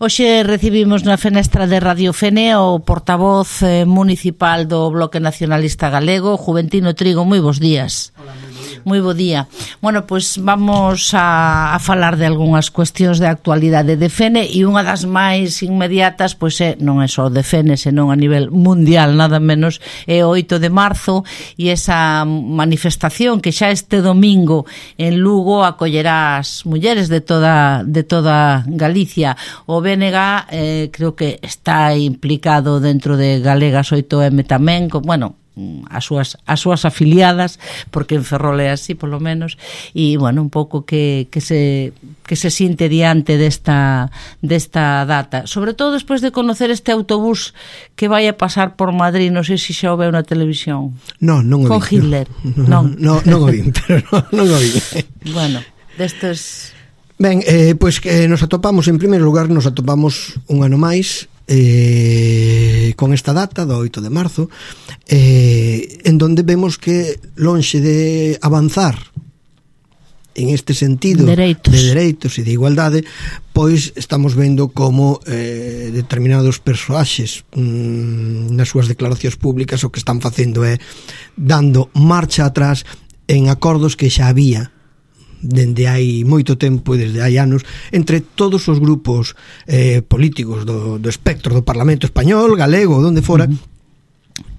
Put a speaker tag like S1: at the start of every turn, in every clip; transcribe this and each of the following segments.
S1: Hoxe recibimos na fenestra de Radio Fene o portavoz municipal do Bloque Nacionalista Galego, Juventino Trigo. Moi bons días.
S2: Hola, moi bo día.
S1: Moi bo día. Bueno, pois vamos a falar de algunhas cuestións de actualidade de Fene, e unha das máis inmediatas pois non é só de Fene, senón a nivel mundial, nada menos, é o 8 de marzo, e esa manifestación que xa este domingo en Lugo acollerá as mulleres de toda Galicia. O BNG creo que está implicado dentro de Galegas 8M tamén, bueno, as súas afiliadas, porque en Ferrol é así polo menos, e bueno, un pouco que se sinte diante desta data, sobre todo despois de conocer este autobús que vai a pasar por Madrid. Non sei se xa o veu na televisión.
S2: Non o vi.
S1: Con Hitler. Non
S2: o vi, pero non o vi.
S1: Bueno, destes...
S2: Ben, pois que nos atopamos, en primeiro lugar, un ano máis con esta data do 8 de marzo, en donde vemos que lonxe de avanzar en este sentido de dereitos e de igualdade, pois estamos vendo como determinados persoaxes nas súas declaracións públicas o que están facendo é dando marcha atrás en acordos que xa había dende hai moito tempo e desde hai anos entre todos os grupos políticos do espectro do Parlamento español, galego, donde fora,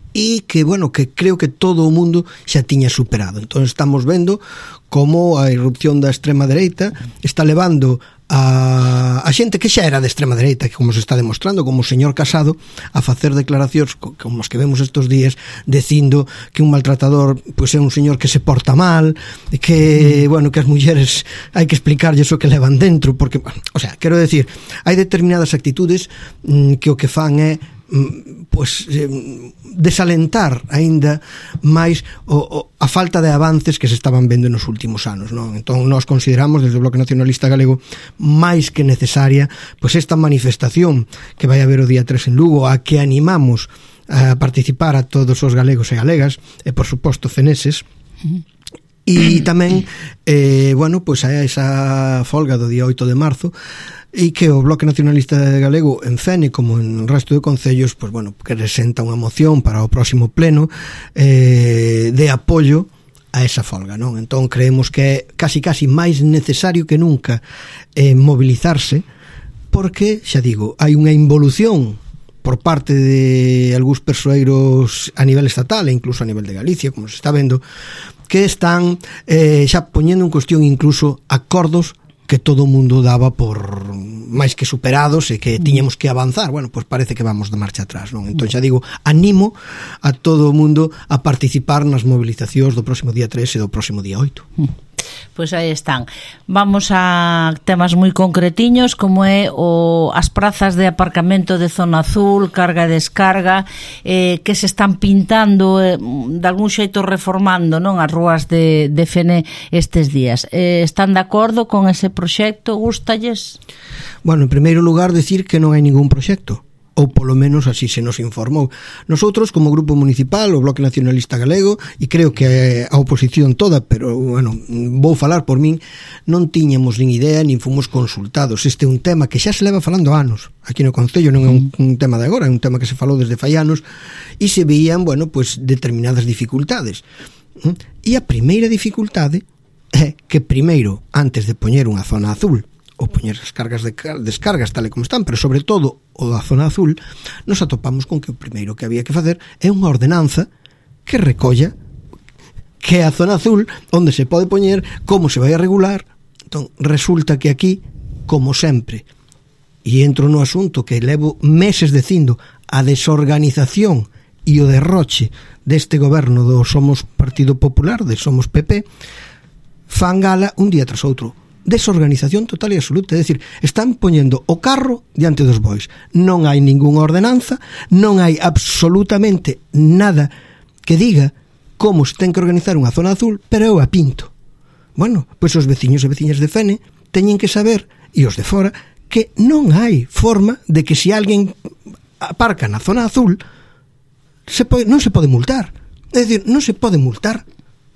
S2: e que, bueno, que creo que todo o mundo xa tiña superado. Entón estamos vendo como a irrupción da extrema dereita está levando a xente que xa era de extrema dereita, que como se está demostrando, como o señor Casado, a facer declaracións como os que vemos estos días, dicindo que un maltratador pois é un señor que se porta mal, que, bueno, que as mulleres hai que explicarlles o que levan dentro, porque, o sea, quero decir, hai determinadas actitudes que o que fan é pois desalentar aínda máis a falta de avances que se estaban vendo nos últimos anos, non? Entón nós consideramos desde o Bloque Nacionalista Galego máis que necesaria pois esta manifestación que vai haber o día 3 en Lugo, a que animamos a participar a todos os galegos e galegas e por suposto feneses. E tamén bueno, pois a esa folga do día 8 de marzo, e que o Bloque Nacionalista Galego en Fene como en o resto de concellos, pois bueno, que presenta unha moción para o próximo pleno de apoio a esa folga, non? Entón creemos que é casi máis necesario que nunca mobilizarse, porque, xa digo, hai unha involución por parte de algúns persoeiros a nivel estatal e incluso a nivel de Galicia, como se está vendo, que están xa poñendo en cuestión incluso acordos que todo o mundo daba por máis que superados e que tiñamos que avanzar. Bueno, pois parece que vamos de marcha atrás, non? Entón xa digo, animo a todo o mundo a participar nas movilizacións do próximo día 3 e do próximo día 8.
S1: Pois aí están. Vamos a temas moi concretiños, como é as prazas de aparcamento de zona azul, carga e descarga, que se están pintando, de algún xeito reformando, non, as rúas de Fene estes días. Están de acordo con ese proxecto? Gústalles?
S2: Bueno, en primeiro lugar, decir que non hai ningún proxecto, ou polo menos así se nos informou. Nosotros, como Grupo Municipal, o Bloque Nacionalista Galego, e creo que a oposición toda, pero, bueno, vou falar por min, non tiñamos nin idea, nin fomos consultados. Este é un tema que xa se leva falando anos. Aquí no Concello non é un tema de agora, é un tema que se falou desde fai anos, e se veían, bueno, pues determinadas dificultades. E a primeira dificultade é que primeiro, antes de poñer unha zona azul, ou poñer as cargas de descargas tal e como están, pero sobre todo o da zona azul, nos atopamos con que o primeiro que había que facer é unha ordenanza que recolla que é a zona azul, onde se pode poñer, como se vai a regular. Entón, resulta que aquí, como sempre, e entro no asunto que levo meses dicindo, a desorganización e o derroche deste goberno do Somos Partido Popular, de Somos PP, fan gala un día tras outro. Desorganización total e absoluta, é dicir, están poñendo o carro diante dos bois. Non hai ningunha ordenanza, non hai absolutamente nada que diga como se ten que organizar unha zona azul, pero eu a pinto. Bueno, pois os veciños e veciñas de Fene teñen que saber, e os de fora, que non hai forma de que se alguén aparca na zona azul non se pode multar. É dicir, non se pode multar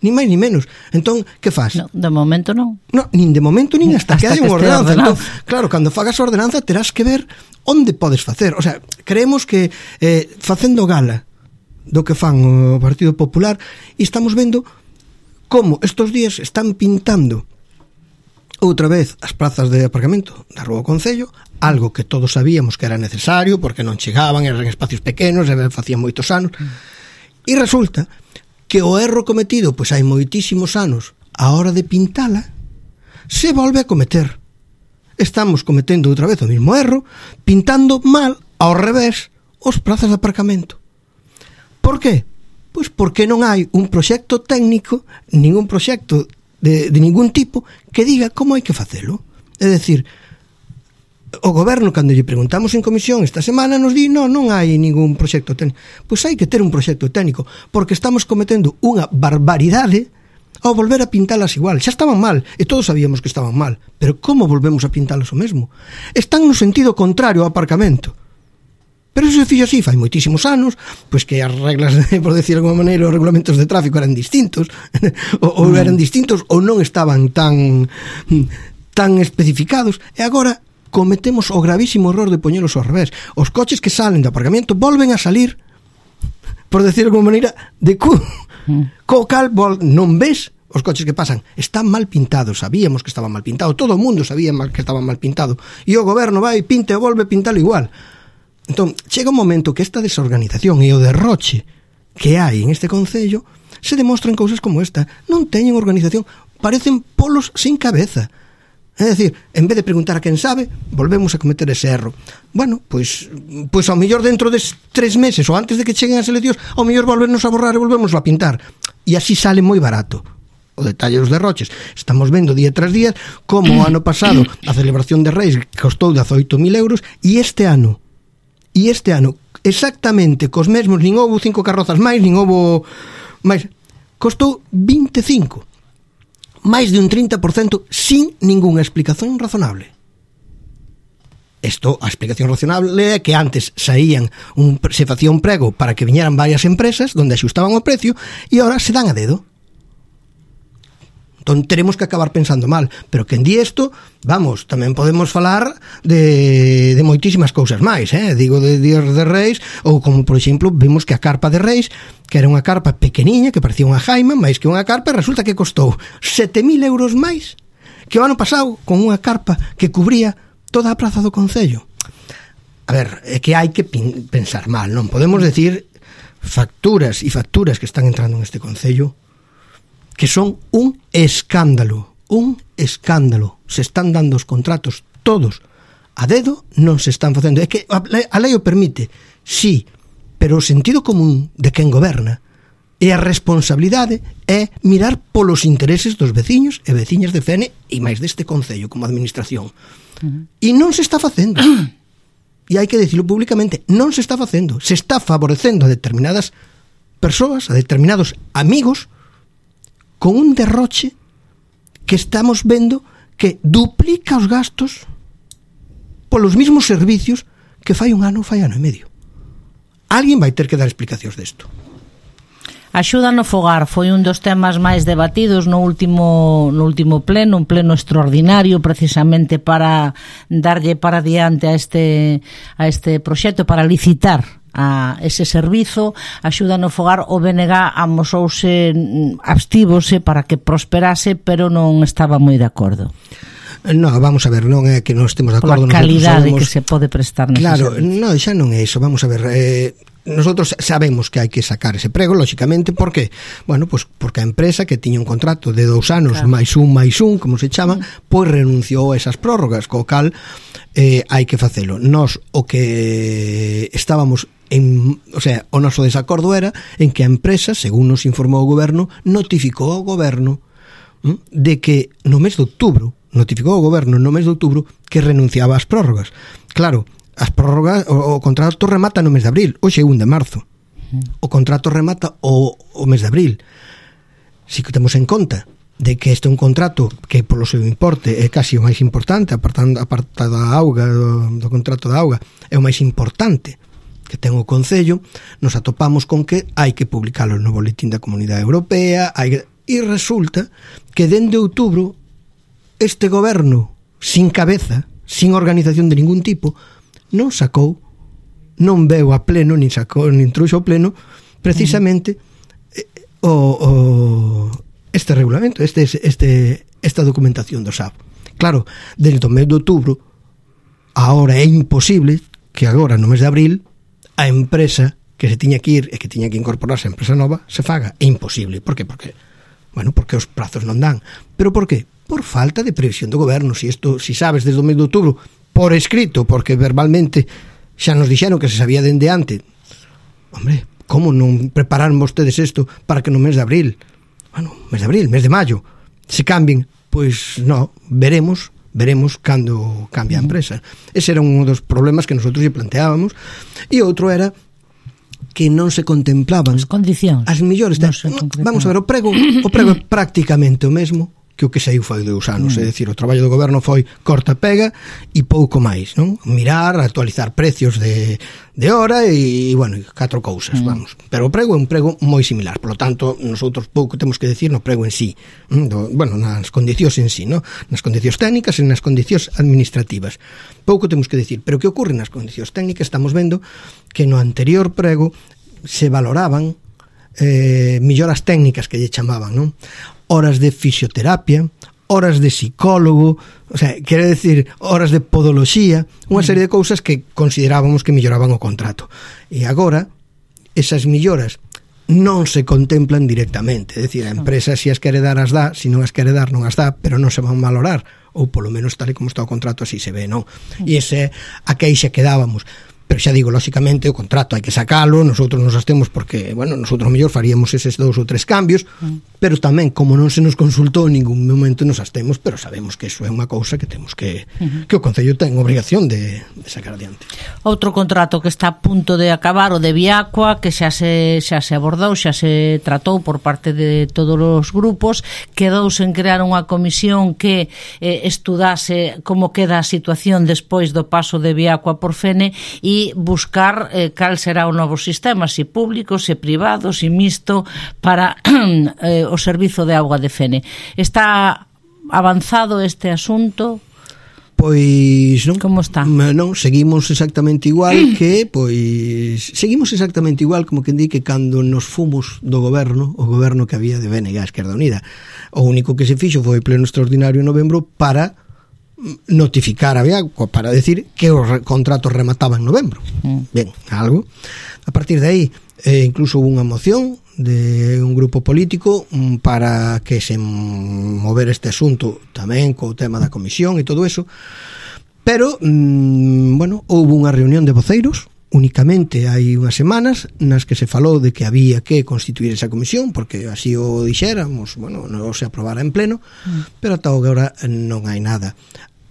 S2: Ni máis ni menos. Entón, que faz?
S1: No, de momento non.
S2: No, nin de momento nin hasta que hai unha ordenanza. Entón,
S1: ordenanza.
S2: claro, cando fagas a ordenanza terás que ver onde podes facer. O sea, creemos que facendo gala do que fan o Partido Popular, e estamos vendo como estes días están pintando outra vez as plazas de aparcamento da Rúa do Concello, algo que todos sabíamos que era necesario porque non chegaban, eran espacios pequenos, facían moitos anos, e resulta que o erro cometido pois hai moitísimos anos a hora de pintala se volve a cometer. Estamos cometendo outra vez o mismo erro, pintando mal, ao revés, os plazas de aparcamento. Por qué? Pois porque non hai un proxecto técnico, ningún proxecto de ningún tipo que diga como hai que facelo. É dicir, o goberno, cando lle preguntamos en comisión esta semana, nos di, non hai ningún proxecto técnico. Pois hai que ter un proxecto técnico, porque estamos cometendo unha barbaridade ao volver a pintalas igual. Xa estaban mal, e todos sabíamos que estaban mal, pero como volvemos a pintalas o mesmo? Están no sentido contrario ao aparcamento. Pero eso se fixo así, fai moitísimos anos, pois que as reglas, por decir de alguma maneira, os regulamentos de tráfico eran distintos, ou eran distintos, ou non estaban tan especificados, e agora cometemos o gravísimo error de poñelos ao revés. Os coches que salen do aparcamento volven a salir, por decir de alguma maneira, de cu. Co cal non ves os coches que pasan. Están mal pintados, sabíamos que estaban mal pintados, todo o mundo sabía que estaban mal pintados, e o goberno vai, pinta e volve a pintalo igual. Entón, chega un momento que esta desorganización e o derroche que hai en este concello se demostran cousas como esta. Non teñen organización, parecen polos sin cabeza. É dicir, en vez de preguntar a quen sabe, volvemos a cometer ese erro. Bueno, pois ao mellor dentro de 3 meses ou antes de que cheguen as eleccións, ao mellor volvernos a borrar e volvemos a pintar. E así sale moi barato. O detalle dos derroches. Estamos vendo día tras día como o ano pasado a celebración de Reis costou 18.000 euros e este ano exactamente cos mesmos, nin houve 5 carrozas máis, nin houve máis, costou 25, máis de un 30% sin ningunha explicación razonable. A explicación razonable é que antes se facía un prego para que viñeran varias empresas donde axustaban o precio e agora se dan a dedo. Entón teremos que acabar pensando mal, pero quen di isto, vamos, tamén podemos falar de moitísimas cousas máis, digo de Días de Reis, ou como por exemplo vimos que a carpa de Reis, que era unha carpa pequeniña, que parecía unha jaima, máis que unha carpa, resulta que costou 7.000 euros máis que o ano pasado con unha carpa que cubría toda a praza do concello. A ver, é que hai que pensar mal, non podemos decir facturas e facturas que están entrando neste concello que son un escándalo. Se están dando os contratos todos a dedo, non se están facendo. É que a lei o permite, sí, pero o sentido común de quen goberna e a responsabilidade é mirar polos intereses dos veciños e veciñas de Fene e máis deste concello como administración. E non se está facendo. E hai que dicilo públicamente, non se está facendo. Se está favorecendo a determinadas persoas, a determinados amigos, con un derroche que estamos vendo que duplica os gastos polos mismos servicios que fai un ano e medio. Alguén vai ter que dar explicacións desto.
S1: A axuda no fogar foi un dos temas máis debatidos no último pleno, un pleno extraordinario precisamente para darlle para diante a este proxecto, para licitar a ese servizo. Axuda no fogar, o BNG abstívose para que prosperase, pero non estaba moi de acordo.
S2: No, vamos a ver, non é que non estemos de acordo.
S1: Pola calidade que se pode prestar nese
S2: servizo.
S1: Claro,
S2: non, xa non é iso, vamos a ver, nosotros sabemos que hai que sacar ese prego, lóxicamente, por que? Bueno, pues porque a empresa que tiña un contrato de 2 anos, claro, máis un, como se chama, pois renunciou a esas prórrogas, co cal hai que facelo. Nos, o que estábamos o sea, o noso desacordo era en que a empresa, según nos informou o goberno, notificou ao goberno de que no mes de outubro que renunciaba ás prórrogas. Claro, as prórrogas, o contrato remata no mes de abril, hoxe é 1 de marzo. O contrato remata o mes de abril. Si que temos en conta de que este é un contrato que polo seu importe é casi o máis importante, apartado da auga, do contrato da auga, é o máis importante que ten o Concello, nos atopamos con que hai que publicalo no boletín da Comunidade Europea, E resulta que dende outubro este goberno sin cabeza, sin organización de ningún tipo, non veu a pleno, nin trouxo ao pleno precisamente este regulamento, esta documentación do SAP. Claro, dentro do mes de outubro, agora é imposible que agora no mes de abril a empresa que se tiña que ir e que tiña que incorporarse a empresa nova se faga. É imposible. Por qué? Porque os prazos non dan. Pero por qué? Por falta de previsión do goberno. Si sabes desde o mes de outubro por escrito, porque verbalmente xa nos dixeron que se sabía dende antes, hombre, como non prepararon vostedes isto para que no mes de abril, mes de maio, se cambien? Pois non, veremos cando cambia a empresa. Ese era un dos problemas que nosotros lle planteábamos. E outro era que non se contemplaban
S1: as condicións.
S2: As millores. Vamos a ver, o prego é prácticamente o mesmo que o que saiu fai 2 anos. É dicir, o traballo do goberno foi corta pega e pouco máis, non? Mirar, actualizar precios de hora e 4 cousas, vamos. Pero o prego é un prego moi similar. Por lo tanto, nosotros pouco temos que decir no prego en sí. Nas condicións en sí, non? Nas condicións técnicas e nas condicións administrativas. Pouco temos que decir. Pero que ocorre nas condicións técnicas? Estamos vendo que no anterior prego se valoraban melloras técnicas que lle chamaban, non? Horas de fisioterapia, horas de psicólogo, o sea, quere decir, horas de podoloxía, unha serie de cousas que considerábamos que melloraban o contrato. E agora, esas melloras non se contemplan directamente, é dicir, a empresa se as quere dar as dá, se non as quere dar non as dá, pero non se van valorar, ou polo menos tal e como está o contrato así se ve, non? E ese a queixa que dábamos. Pero xa digo, lóxicamente, o contrato hai que sacalo, nosotros nos astemos porque, nosotros mellor faríamos eses 2 ou 3 cambios, pero tamén, como non se nos consultou en ningún momento, nos astemos, pero sabemos que iso é unha cousa que temos que o Concello ten obrigación de sacar adiante.
S1: Outro contrato que está a punto de acabar, o de Viacua, que xa se abordou, xa se tratou por parte de todos os grupos, quedouse en crear unha comisión que estudase como queda a situación despois do paso de Viacua por Fene e buscar cal será o novo sistema, se público, se privado, se mixto para o servizo de auga de Fene. Está avanzado este asunto?
S2: Pois non.
S1: Como está?
S2: Non, seguimos exactamente igual como que di que cando nos fomos do goberno, o goberno que había de BNG, Esquerda Unida. O único que se fixo foi pleno extraordinario en novembro para notificar a Viacua, para decir que os contratos remataban en novembro. Ben, algo. A partir de aí, incluso hubo unha moción de un grupo político para que se mover este asunto tamén co tema da comisión e todo eso, pero houve unha reunión de voceiros únicamente hai unhas semanas nas que se falou de que había que constituir esa comisión porque así o dixéramos, non se aprobara en pleno, pero ata agora non hai nada.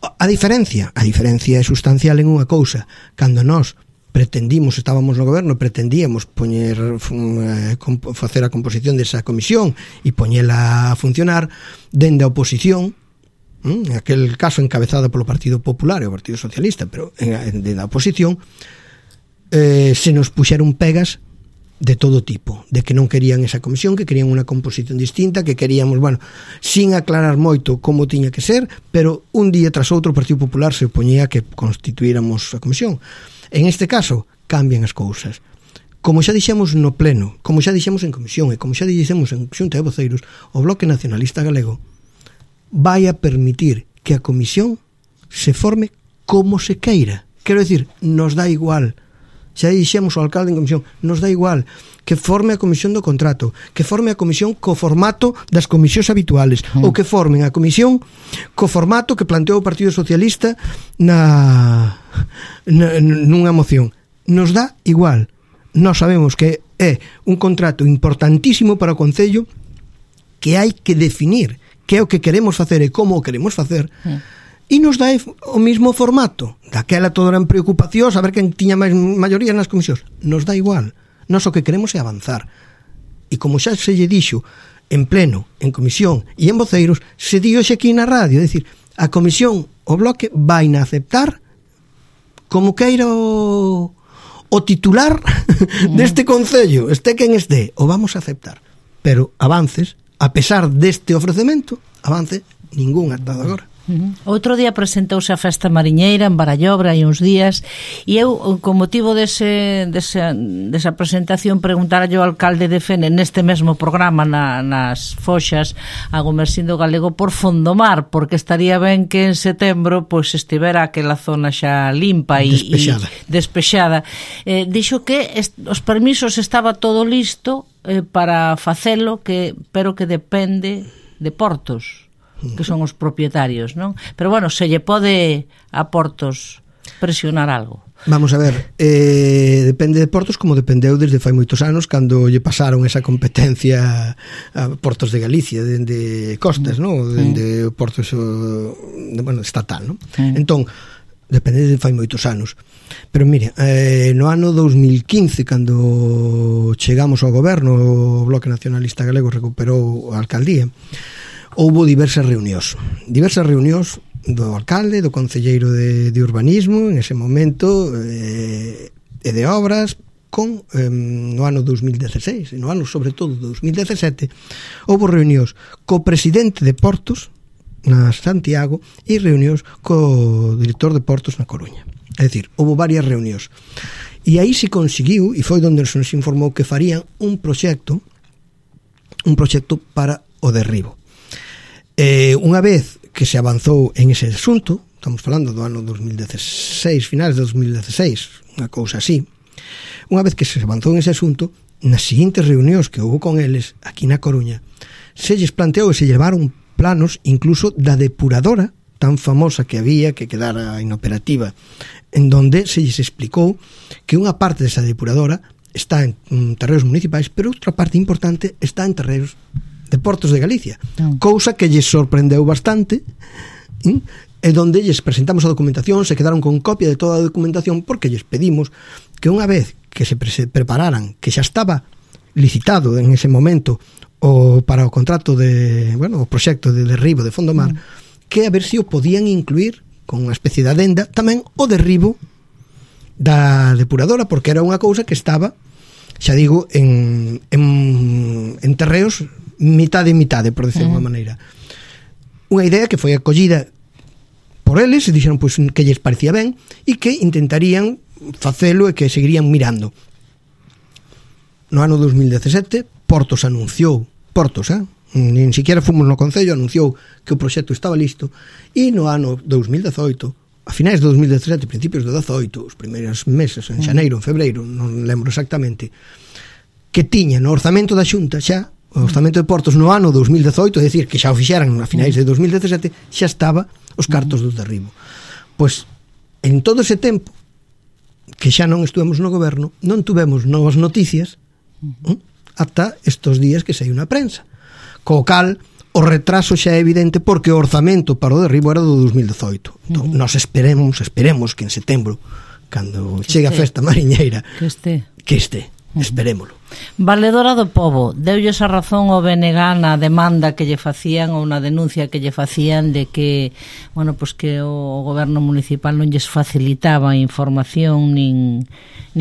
S2: A diferencia é sustancial en unha cousa. Cando nós estábamos no goberno, pretendíamos facer a composición desa comisión e poñela a funcionar dende a oposición, aquel caso encabezado polo Partido Popular e o Partido Socialista, pero dende a oposición se nos puxeron pegas de todo tipo, de que non querían esa comisión, que querían unha composición distinta, que queríamos, sin aclarar moito como tiña que ser, pero un día tras outro o Partido Popular se opoñía que constituíramos a comisión. En este caso, cambian as cousas. Como xa dixemos no pleno, como xa dixemos en comisión e como xa dixemos en xunta de voceiros, o Bloque Nacionalista Galego vai a permitir que a comisión se forme como se queira. Quero dicir, nos dá igual. Xa dixemos ao alcalde en comisión, nos dá igual que forme a comisión do contrato, que forme a comisión co formato das comisións habituales, ou que formen a comisión co formato que planteou o Partido Socialista nunha moción. Nos dá igual. Nós sabemos que é un contrato importantísimo para o Concello que hai que definir que é o que queremos facer e como o queremos facer. E nos dá o mismo formato. Daquela todo eran preocupacións, a ver quen tiña máis maioría nas comisións. Nos dá igual. Nos o que queremos é avanzar. E como xa se lle dixo en pleno, en comisión e en voceiros, se di hoxe aquí na radio, é dicir, a comisión, o Bloque, vai na aceptar como queira o titular deste Concello, este quen este, o vamos a aceptar. Pero avances a pesar deste ofrecemento, avance ningún ata agora.
S1: Outro día presentouse a Festa Mariñeira en Barallobra hai uns días e eu, con motivo desa presentación, preguntara ao alcalde de Fene neste mesmo programa nas Foxas a Gomersindo Galego por Fondomar, porque estaría ben que en setembro pois estivera aquela zona xa limpa e despexada. Dixo que os permisos estaba todo listo para facelo, pero que depende de Portos, que son os propietarios, non? Pero bueno, se lle pode a Portos presionar algo.
S2: Vamos a ver, depende de Portos como dependeu desde fai moitos anos cando lle pasaron esa competencia a Portos de Galicia, dende Costas, non? Dende Portos estatal, non? Entón, depende de fai moitos anos. Pero mire, no ano 2015, cando chegamos ao goberno, o Bloque Nacionalista Galego recuperou a alcaldía, houbo diversas reunións do alcalde, do concelleiro de urbanismo en ese momento e de obras no ano 2016 e no ano sobre todo 2017 houbo reunións co presidente de Portos na Santiago e reunións co director de Portos na Coruña. É dicir, houbo varias reunións e aí se conseguiu, e foi onde se nos informou que farían un proxecto para o derribo. Unha vez que se avanzou en ese asunto, estamos falando do ano 2016, finales de 2016, unha cousa así, unha vez que se avanzou en ese asunto, nas seguintes reunións que houve con eles aquí na Coruña, se lles planteou e se llevaron planos incluso da depuradora tan famosa que había, que quedara inoperativa, en donde se lles explicou que unha parte desa depuradora está en terreos municipais, pero outra parte importante está en terreos de Portos de Galicia, cousa que lles sorprendeu bastante, e donde lles presentamos a documentación, se quedaron con copia de toda a documentación, porque lles pedimos que unha vez que se prepararan, que xa estaba licitado en ese momento para o contrato o proxecto de derribo de Fondomar, que a ver se o podían incluir con unha especie de adenda tamén o derribo da depuradora, porque era unha cousa que estaba, xa digo, en terreos mitade, por decirlo de unha maneira. Unha idea que foi acollida por eles e dixeron pois que lles parecía ben e que intentarían facelo e que seguirían mirando. No ano 2017 Portos anunciou, nin siquiera fomos no Concello, anunciou que o proxecto estaba listo, e no ano 2018, a finais de 2017, principios de 2018, os primeiros meses, en xaneiro, en febreiro, non lembro exactamente, que tiña no orzamento da Xunta xa o orzamento de Portos no ano 2018, é dicir, que xa o fixeran a finais de 2017, xa estaba os cartos do derribo. Pois, en todo ese tempo que xa non estuvemos no goberno, non tuvemos novas noticias ata estos días que saiu na prensa. Co cal, o retraso xa é evidente porque o orzamento para o derribo era do 2018. Entón, nos esperemos que en setembro, cando chegue a Festa Mariñeira, que este. Esperémolo.
S1: Valedora do Pobo, deulles a razón ao BNG na demanda que lle facían ou na denuncia que lle facían de que, pois que o goberno municipal non lles facilitaba a información nin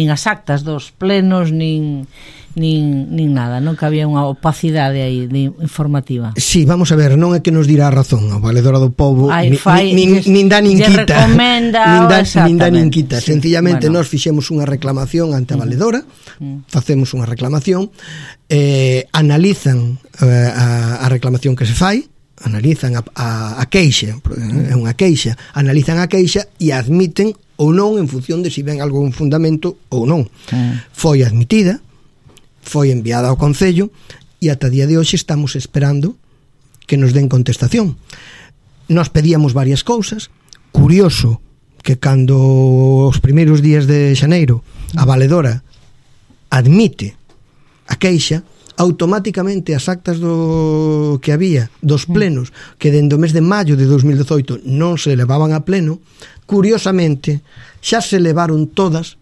S1: as actas dos plenos nin nada, non? Que había unha opacidade aí informativa.
S2: Sí, vamos a ver, non é que nos dirá a razón a Valedora do Pobo, nin dá nin quita. Nin dá nin quita. Sencillamente nos fixemos unha reclamación ante a Valedora, facemos unha reclamación, analizan a reclamación que se fai, analizan a queixa, é unha queixa, analizan a queixa e admiten ou non en función de se ven algún fundamento ou non. Foi admitida, foi enviada ao Concello e ata día de hoxe estamos esperando que nos den contestación. Nos pedíamos varias cousas. Curioso que cando os primeiros días de xaneiro a Valedora admite a queixa, automáticamente as actas do que había dos plenos que dende o mes de maio de 2018 non se levaban a pleno, curiosamente xa se levaron todas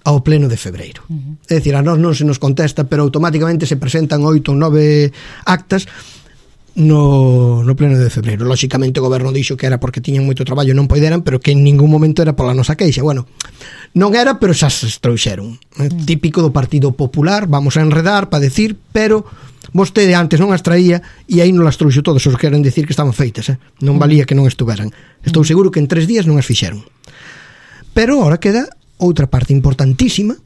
S2: ao pleno de febreiro. É dicir, a nós non se nos contesta, pero automáticamente se presentan 8 ou 9 actas no pleno de febreiro. Lóxicamente o goberno dixo que era porque tiñan moito traballo e non poideran, pero que en ningún momento era pola nosa queixa. Bueno, non era, pero xa se trouxeron. Típico do Partido Popular, vamos a enredar para decir, pero vostede antes non as traía e aí non as trouxo todos, os queren decir que estaban feitas, non valía que non estuveran. Estou seguro que en 3 días non as fixeron. Pero ahora queda outra parte importantísima,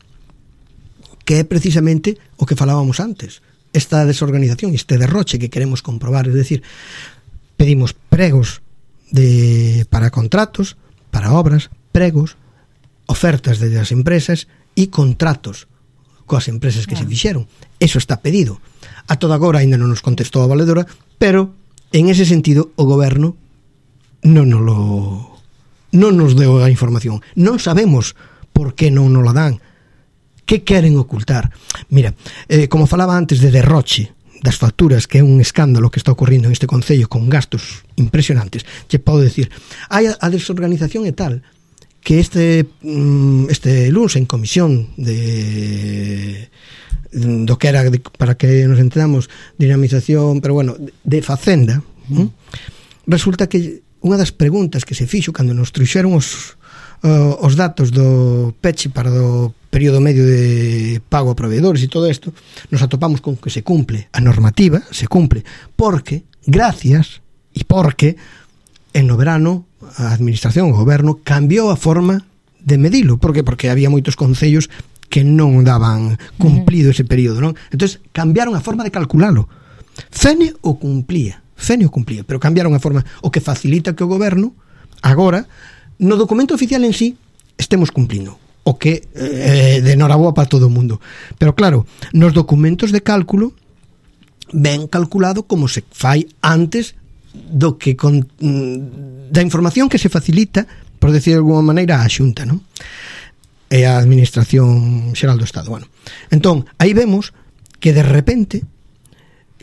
S2: que é precisamente o que falábamos antes, esta desorganización, este derroche que queremos comprobar, es decir, pedimos pregos para contratos, para obras, pregos, ofertas de as empresas e contratos coas empresas que se fixeron. Eso está pedido. A toda agora ainda non nos contestou a valedora, pero en ese sentido o goberno non nos deu a información. Non sabemos por que non nos la dan. Que queren ocultar? Mira, como falaba antes de derroche das facturas, que é un escándalo que está ocorrindo en este concello con gastos impresionantes, che podo decir, hai a desorganización e tal que este luns en comisión do que era para que nos entendamos, dinamización, pero bueno, de Facenda, resulta que unha das preguntas que se fixo cando nos trouxeron os datos do peche para o período medio de pago a proveedores e todo isto, nos atopamos con que se cumple a normativa, se cumple porque, gracias e porque en no verano a administración, o goberno cambiou a forma de medilo. Por qué? Porque había moitos concellos que non daban cumplido ese período, non? Entonces cambiaron a forma de calculalo. Fene o cumplía, pero cambiaron a forma, o que facilita que o goberno agora no documento oficial en sí estemos cumplindo, o que de noraboa para todo o mundo. Pero claro, nos documentos de cálculo ben calculado como se fai antes do que da información que se facilita, por decir de alguma maneira, á Xunta, non? E a Administración Xeral do Estado. Bueno, entón, aí vemos que de repente,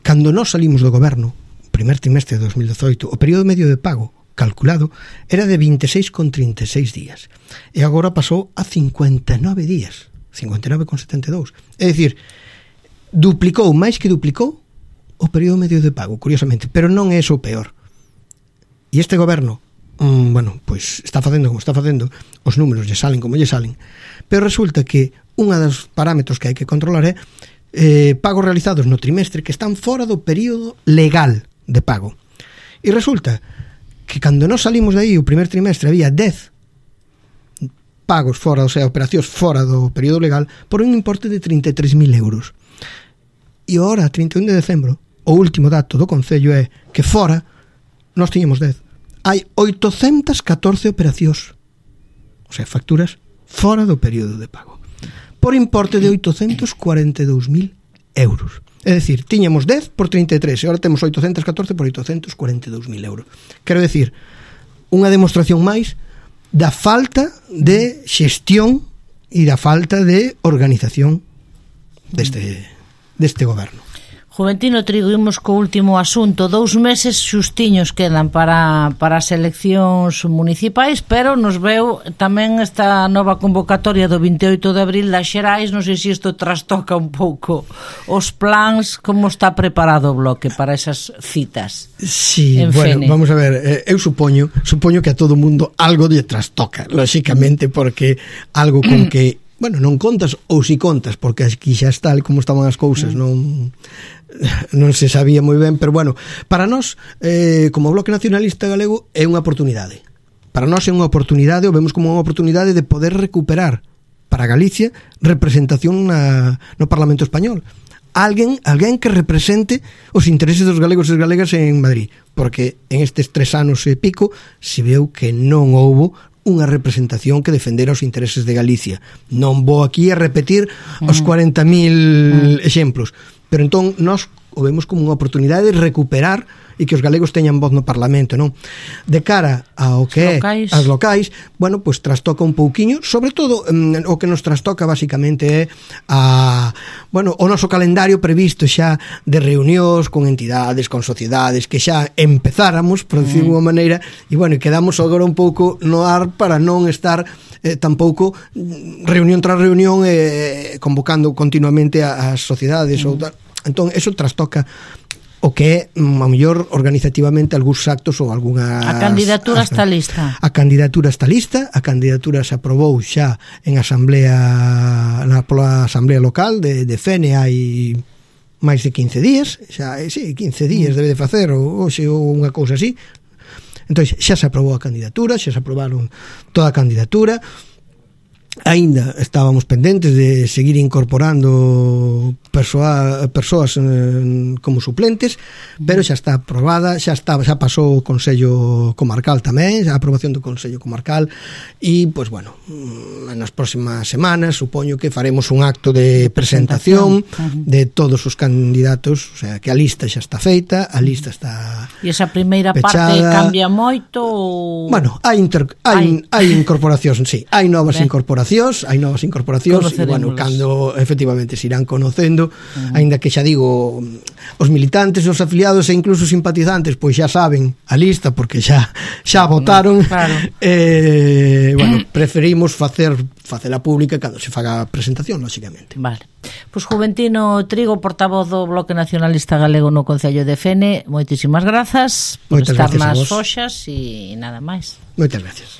S2: cando nós salimos do goberno, primer trimestre de 2018, o período medio de pago calculado era de 26,36 días e agora pasou a 59 días, 59,72. É dicir, máis que duplicou o período medio de pago, curiosamente, pero non é iso o peor. E este goberno, pois está facendo como está facendo, os números lle salen como lle salen, pero resulta que unha dos parámetros que hai que controlar é pagos realizados no trimestre que están fora do período legal de pago. E resulta que cando nós salimos de aí o primer trimestre había 10 pagos fora, o sea, operacións fora do período legal por un importe de 33.000 euros. E agora, 31 de decembro, o último dato do Concello é que fora nós tiñamos 10. Hai 814 operacións, o sea, facturas fora do período de pago, por importe de 842.000 euros. É dicir, tiñamos 10 por 33 e agora temos 814 por 842.000 euros. Quero dicir, unha demostración máis da falta de xestión e da falta de organización deste goberno.
S1: Juventino Trigo, imos co último asunto. 2 meses xustiños quedan para as eleccións municipais, pero nos veu tamén esta nova convocatoria do 28 de abril das xerais. Non sei se isto trastoca un pouco os plans, como está preparado o bloque para esas citas.
S2: Sí, bueno, vamos a ver, eu supoño que a todo mundo algo lle trastoca, lóxicamente, porque algo con que non contas ou si contas, porque aquí xa está como estaban as cousas, non se sabía moi ben, pero bueno, para nós, como Bloque Nacionalista Galego, é unha oportunidade. Para nós é unha oportunidade, o vemos como unha oportunidade de poder recuperar para Galicia representación no Parlamento Español. Alguén que represente os intereses dos galegos e galegas en Madrid, porque en estes 3 anos e pico se veu que non houbo unha representación que defendera os intereses de Galicia. Non vou aquí a repetir os 40.000 exemplos, pero entón nós o vemos como unha oportunidade de recuperar e que os galegos teñan voz no Parlamento, non? De cara ao que é as locais, bueno, pois trastoca un pouquiño, sobre todo o que nos trastoca basicamente é o noso calendario previsto xa de reunións con entidades, con sociedades, que xa empezáramos, por decir de unha maneira, e bueno, quedamos agora un pouco no ar para non estar tampouco reunión tras reunión convocando continuamente as sociedades ou tal. Entón, eso trastoca o que é, a mellor, organizativamente algúns actos ou algunhas...
S1: A candidatura está lista.
S2: A candidatura está lista, a candidatura se aprobou xa en asamblea, pola asamblea local de Fene hai máis de 15 días, xa, sí, 15 días debe de facer, ou unha cousa así. Entón, xa se aprobou a candidatura, xa se aprobaron toda a candidatura. Aínda estábamos pendentes de seguir incorporando persoas como suplentes, pero xa está aprobada, xa pasou o Consello Comarcal tamén, a aprobación do Consello Comarcal, e, pois, bueno, nas próximas semanas supoño que faremos un acto de presentación de todos os candidatos, o sea, que a lista xa está feita, a lista está
S1: e esa primeira
S2: pechada.
S1: Parte cambia moito ou...
S2: Bueno, hai incorporacións, sí, hai novas incorporacións, e, bueno, cando efectivamente se irán conocendo, aínda que xa digo, os militantes, os afiliados e incluso os simpatizantes, pois xa saben a lista porque xa votaron.
S1: Claro.
S2: Bueno, preferimos facela pública cando se faga a presentación, lógicamente.
S1: Vale. Pois Juventino Trigo, portavoz do Bloque Nacionalista Galego no Concello de Fene, moitísimas grazas por estar nas foxas e nada máis.
S2: Moitas gracias.